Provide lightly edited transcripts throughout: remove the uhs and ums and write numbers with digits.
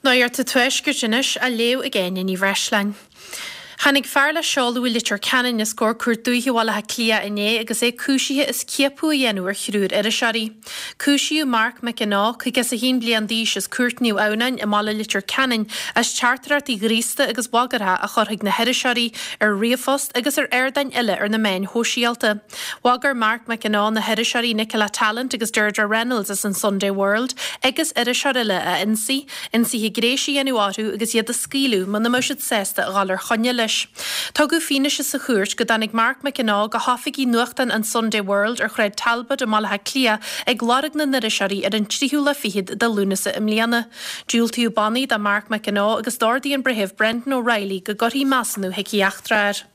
Nuacht an Tuaiscirt anois á léamh ag Áine Ní Bhreisleáin. Tháinig fear le seoladh i Leitir Ceanainn os comhair Cúirt Dúiche Bhaile Átha Cliath inné agus é cúisithe as ciapadh a dhéanamh ar thriúr iriseoirí. Cúisíodh Mark McAnaw, 51 bliain d'aois as Cúirt Naomh Adhamhnáin i mbaile Leitir Ceanainn as teachtaireachtaí ghríosta agus bhagartha a chur chuig na hiriseoirí ar ríomhphost agus ar ardáin eile ar na meáin shóisialta. Bhagair Mark McAnaw na hiriseoirí Nicola Tallant agus Deirdre Reynolds as an Sunday World agus iriseoir eile a ionsaí, ionsaithe gnéis a dhéanamh orthu agus iad a scaoileadh muna mbeadh siad sásta a dhul ar choinne leis. Tugadh fianaise sa chúirt go dtáinig Mark McAnaw go hoifigí nuachtáin an Sunday World ar Shráid Talbot i mBaile Átha Cliath ag lorg na n-iriseoirí ar an tríú lá fichead de Lúnasa i mbliana. Diúltaíodh bannaí do Mark McAnaw agus d'ordaigh an Breitheamh Brendan O'Reilly go gcuirfí measúnú shíciatrach air.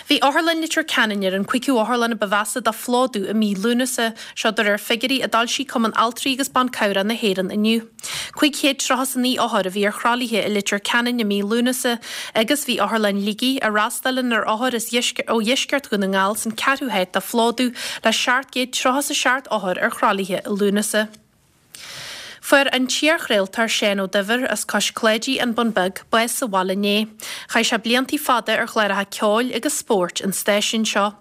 Bhí Otharlann Leitir Ceanainn ar an gcúigiú otharlann a ba mheasa do phlódú i mí Lúnasa, seo de réir figiúirí a d'fhoilsigh Cumann Altraí agus Ban Cabhrach na hÉireann inniu. 539 othar a bhí ar thralaithe i Leitir Ceanainn i mí Lúnasa agus bhí Otharlann Shligigh, a fhreastalaíonn ar othair as ó dheisceart Dhún na nGall, san ceathrú háit do phlódú le 737 othar ar thralaithe i Lúnasa. Fuair an t-iarchraoltóir Seán Ó Duibhir, as Cois Cláidí, An Bun Beag, bás sa bhaile inné. Chaith sé bliantaí fada ar chláracha ceoil agus spóirt an stáisiúin seo.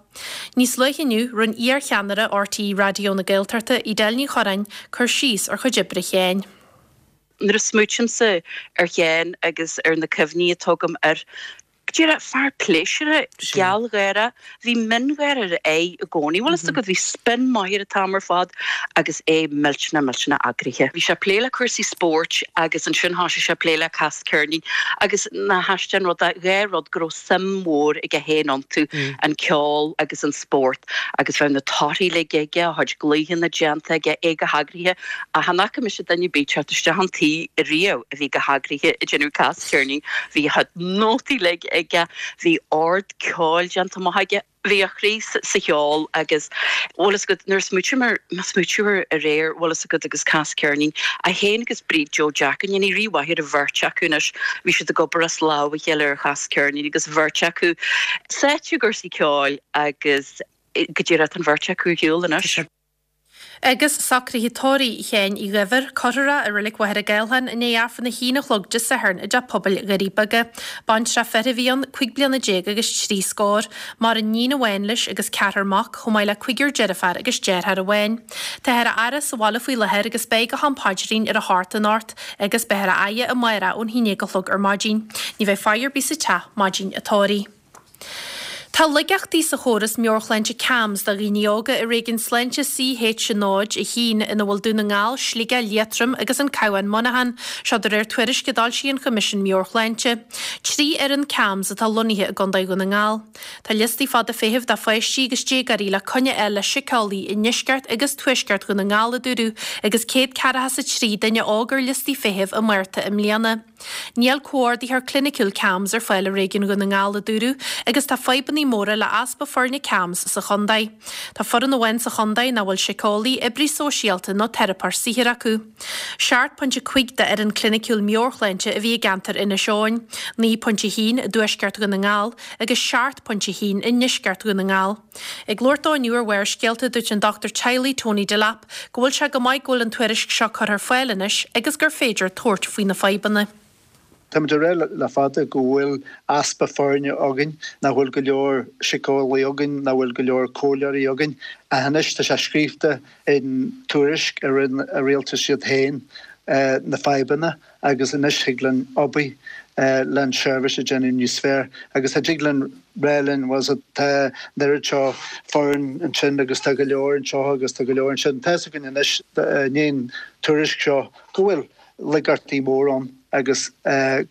Níos luaithe inniu, rinne iar-cheannaire RTÉ Raidió na Gaeltachta, Edel Ní Chorráin, cur síos ar chuid oibre Sheáin. Nuair a smaoitímse ar Sheán agus ar na cuimhní atá agam air, Go díreach, fear pléisiúrtha, gealgháireach, bhí miongháire ar a aghaidh i gcónaí, bhfuil fhios agat, bhí spin maith air an t-am ar fad agus é millteanach, millteanach eagraithe. Bhí sé ag plé le cúrsaí spóirt agus ansin thoisigh sé ag plé le Cas Ceirnín agus nach aisteach an rud é, dhá rud go raibh suim mhór aige féin iontu, an ceol agus an spórt agus bheadh na torthaí uilig aige, a chuid glaochanna déanta aige, é go heagraithe ach chan fhaca mise duine ar bith teacht isteach an tí riamh a bhí go heagraithe ag déanamh Cas Ceirnín. Bhí a chuid nótaí uilig aige, bhí ord ceoil déanta amach aige, bhí a chroí sa cheol agus bhfuil fhios agat, nuair a smaoitím air, má smaoitiú air aréir, bhfuil fhios agat agus Cas Ceirnín, é féin agus Bríd Joe Jack, go ndéanaí Rí mhaith ar an bheirt acu anois, bhí siad ag obair as lámh a chéile ar Chas Ceirnín agus an bheirt acu sáite i gcúrsaí ceoil agus go díreach tá an bheirt acu ar shiúl anois. Agus socruithe tórraimh Sheáin Uí Dhuibhir, cuirfear é i Reilig Mhachaire Gathlán i ndiaidh Aifreann a haon a chlog Dé Sathairn i dTeach Pobail Dhoirí Beaga. Baintreach fir a bhí ann, 15 bliana agus trí scór. Maireann níon amháin leis agus ceathrar mac, chomh maith le cúigear deirféar agus deartháir amháin. Táthar á fhaire sa bhaile faoi láthair agus beidh go ham paidrín ar a hocht anocht agus beifear á fhaire amárach ón haon déag a chlog ar maidin. Ní bheidh faire ar bith sa teach maidin an tórraimh. Tá laigeachtaí sa chóras meabhairshláinte CAMHS do dhaoine óga i réigiún sláinte CH 0, 1, ina bhfuil Dún na nGall, Sligeach, Liatroim agus an Cabhán Muineachán, seo de réir tuairisce a d'fhoilsigh an Choimisiún Meabhair-Shláinte. 3 fhoireann CAMHS atá lonnaithe i gContae Dhún na nGall. Tá liostaí fada feithimh do pháistí agus déagóirí le coinne a fháil le síceolaí i ndeisceart agus tuaisceart Dhún na nGall, a dúradh, agus 143 duine óg ar liostaí feithimh i Márta i mbliana. Níl comhordaitheoir cliniciúil CAMHS ar fáil i réigiún Dhún na nGall, a dúradh, agus tá fadhbanna móra le easpa foirne CAMHS sa chontae. Tá foireann amháin sa chontae nach bhfuil síceolaí, oibrí sóisialta nó teiripeoir saothair acu. 7.5 d'fhoireann cliniciúil meabhairshláinte a bhí i gceantar Inis Eoghain, 9.1 i dtuaisceart Dhún na nGall agus 7.1 i ndeisceart Dhún na nGall. Ag labhairt dó inniu ar Bharrscéalta, dúirt an dochtúir teaghlaigh Tony Delap go bhfuil sé go maith go bhfuil an tuairisc seo curtha ar fáil anois agus gur féidir tabhairt faoi na fadhbanna. Táimid ag rá le fada go bhfuil easpa foirne againn, nach bhfuil go leor síceolaí againn, nach bhfuil go leor comhairleoirí againn. Ach anois tá sé scríofa in tuairisc a rinne an rialtas iad féin na fadhbanna agus anois thig linn obair le an seirbhís a déanamh níos fearr agus tá dtig linn rá linn bhuel so tá an oiread seo foireann ansin agus tá go leor anseo agus tá go leor ansin. Tá fhios againn anois i ndiaidh an tuairisc seo go bhfuil laigeachtaí mór ann agus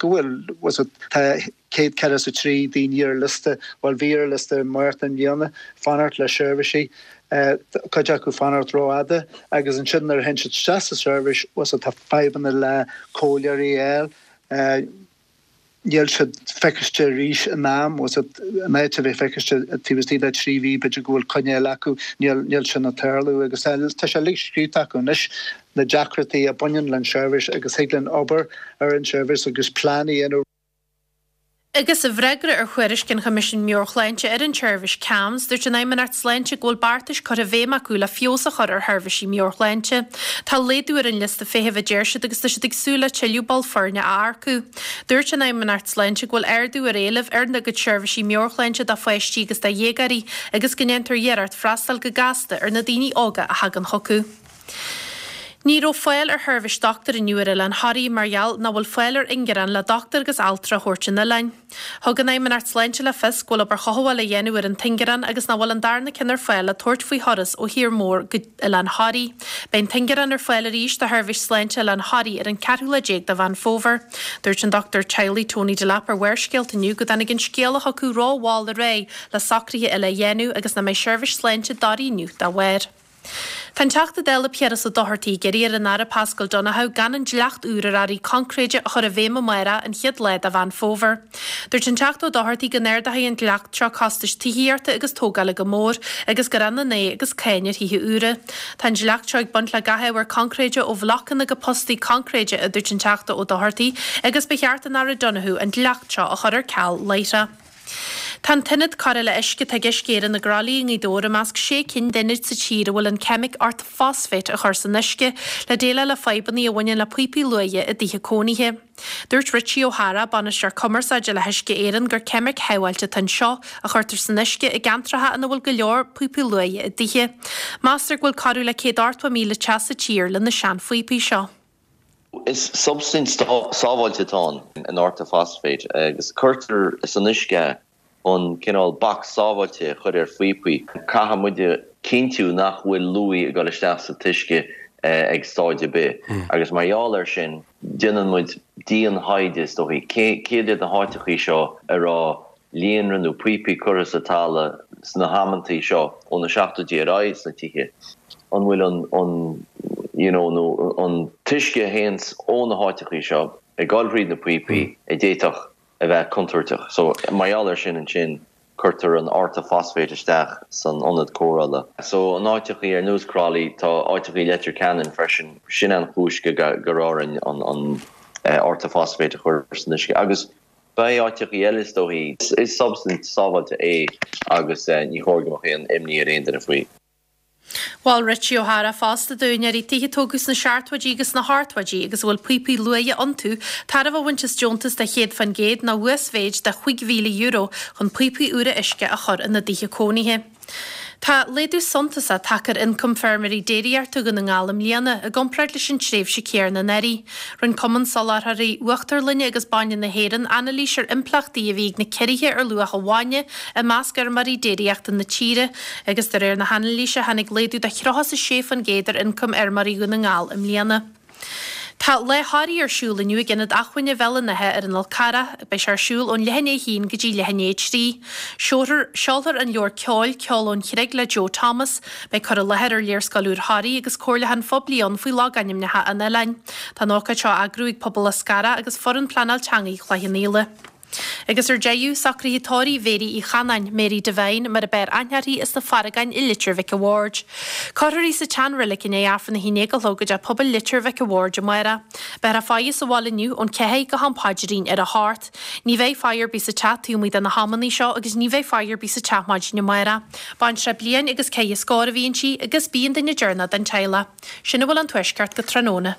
go bhfuil bhuel so tá 143 daoine ar liosta, bhuel bhí ar liosta i Márta i mbliana, fanacht le seirbhísí, cuid acu fanacht rófhada agus ansin nuair a théann siad isteach sa seirbhís, bhuel so tá fadhbanna le comhairleoirí a fháil, níl siad feiciste arís in am, bhuel so in áit a bheith feiciste taobh istigh de 3 mhí b'fhéidir go bhfuil coinne eile acu, níl, níl sin ag tarlú agus tá sé uilig scríofa acu anois na deacrachtaí a bhaineann le an seirbhís agus thig linn obair ar an seirbhís agus plean a dhéanamh. Agus i bhfreagra ar thuairisc an Choimisiúin Meabhair-Shláinte ar an tseirbhís CAMHS, dúirt an Fheidhmeannacht Sláinte go bhfuil beartais curtha i bhfeidhm acu le feabhas a chur ar sheirbhísí meabhairshláinte. Tá laghdú ar an liosta feithimh a deir siad agus tá siad ag súil le tuilleadh ball foirne a earcú. Dúirt an Fheidhmeannacht Sláinte go bhfuil ardú ar éileamh ar a gcuid seirbhísí meabhairshláinte do pháistí agus do dhéagóirí agus go ndéantar iarracht freastal go gasta ar na daoine óga a thagann chucu. Ní raibh fáil ar sheirbhís dochtúir inniu ar Oileán Thoraí mar gheall nach bhfuil fáil ar ingearán le dochtúir agus altra a thabhairt chun an oileáin. Thug an Fheidhmeannacht Sláinte le fios go bhfuil obair chothabhála á dhéanamh ar an t-ingearán agus nach bhfuil an darna ceann ar fáil le tabhairt faoi thuras ó thír mór go Oileán Thoraí. Beidh an t-ingearán ar fáil arís do sheirbhís sláinte Oileán Thoraí ar an 14 lá de Mheán Fómhair. Dúirt an dochtúir teaghlaigh Tony Delap ar Bharrscéalta inniu go dtáinig an scéala chucu ró-mhall ar aghaidh le socruithe eile a dhéanamh agus nach mbeidh seirbhís sláinte i dToraigh inniu dá bharr. Tá an Teachta Dála Piaras Ó Dochartaigh ag iarraidh ar an Aire Paschal Donohoe gan an dleacht úr ar earraí coincréide a chur i bhfeidhm amárach, an chéad lá de Mheán Fómhair. Dúirt an Teachta Ó Dochartaigh go n-ardóidh an dleacht seo costais tithíochta agus tógála go mór agus gur ionann é agus cáin ar thithe úra. Tá an dleacht seo ag baint le gach ábhar coincréide ó bhlocanna go postaí coincréide, a dúirt an Teachta Ó Dochartaigh, agus ba cheart don Aire Donohoe an dleacht seo a chur ar ceal láithreach. Tá an t-ionad cóireála uisce atá ag Uisce Éireann i gCroithlí i nGaoth Dobhair i measc sé cinn d'ionaid sa tír a bhfuil an ceimic orthophosphate a chur san uisce le déileáil le fadhbanna a bhaineann le píopaí luaidhe i dtithe cónaithe. Dúirt Richie O'Hara, Bainisteoir Cumarsáide le hUisce Éireann gur ceimic shábháilte atá anseo a chuirtear san uisce i gceantracha ina bhfuil go leor píopaí luaidhe i dtithe. Meastar go bhfuil corradh le 180,000 teach sa tír le na seanphíopaí seo. Is substaint sábháilte atá ann, an orthophosphate, agus cuirtear san uisce é chun cineál bac sábháilte a chur ar phíopaí. Caithfidh muid a chinntiú nach bhfuil luaidhe ag dul isteach sa t-uisce ag stáid ar bith agus mar gheall air sin déanann muid dian-thaighde is dóichí, céard iad na háiteachaí seo a raibh líonra nó píopaí curtha sa talamh sna hamantaí seo ó na seachtóidí ar aghaidh sna tithe, an bhfuil an an you know nó an t-uisce a théanns ó na háiteachaí seo ag dul thríd na píopaí a d'fhéadfadh a bheith contúirteach. So mar gheall air sin ansin cuirtear an orthophosphate isteach san ionad cóireála. So in áiteachaí ar nós Crolly, tá áiteachaí Leitir Ceanainn freisin, sin an chúis go go raibh orainn an an orthophosphate a chur san uisce agus Beidh áiteachaí eile is dóichí. Is substaint sábháilte é agus ní chóir go mbeadh aon imní ar aon duine faoi. Mhol Richie O'Hara fosta d'úinéirí tithe a tógadh sna seachtóidí agus sna hochtóidí agus a bhfuil píopaí luaidhe iontu, tairbhe a bhaint as deontas de 100% nó uasmhéid de €5,000 chun píopaí úra uisce a chur ina dtithe cónaithe. Tá laghdú suntasach tagtha ar ioncam feirmeoirí déiríochta Dhún na nGall i mbliana, i gcomparáid leis an tréimhse chéanna anuraidh. Rinne Cumann Soláthróirí Uachtarlainne agus Bainne na hÉireann anailís ar impleachtaí a bhí ag na ciorruithe ar luach an bhainne i measc fheirmeoirí déiríochta na tíre, agus de réir na hanailíse tháinig laghdú de 36% ar ioncam fheirmeoirí Dhún na nGall i mbliana. Tá Lá Thoraí ar siúl inniu ag Ionad Acmhainne Bhéal an Átha ar an Fhál Carrach. Beidh sé ar siúl ón leath i ndiaidh a haon go dtí leath i ndiaidh a 3. Seolfar, seolfar an leabhar ceoil, Ceol ón Chreig le Joe Thomas. Beidh cur i láthair ar léarscáil úr Thoraí agus comhairliúchán phoiblí ann faoi logainmneacha an oileáin. Tá an ócáid seo á eagrú ag Pobal Lios Garbh agus Foireann Pleanáil Teangaí Chloich Cheann Fhaola. Agus ar deireadh, socruithe tórraimh Mhéirí Uí Chanáin, Mary Devine, mar a b'fhearr aithne uirthi, as na Farragáin i Leitir Mhic a' Bhaird. Cuirfear í sa tseanreilig i ndiaidh Aifreann 11 a chlog i dTeach Pobail Leitir Mhic a' Bhaird amárach. Beifear á faire sa bhaile inniu ón 4 go ham paidrín ar a hocht. Ní bheidh faire ar bith sa teach taobh amuigh de na hamannaí seo agus ní bheidh faire ar bith sa teach maidin amárach. Baintreach bliain agus ceithre scór a bhí inti agus b'í an duine deireanach den teaghlach. Sin a bhfuil ón Tuaisceart go tráthnóna.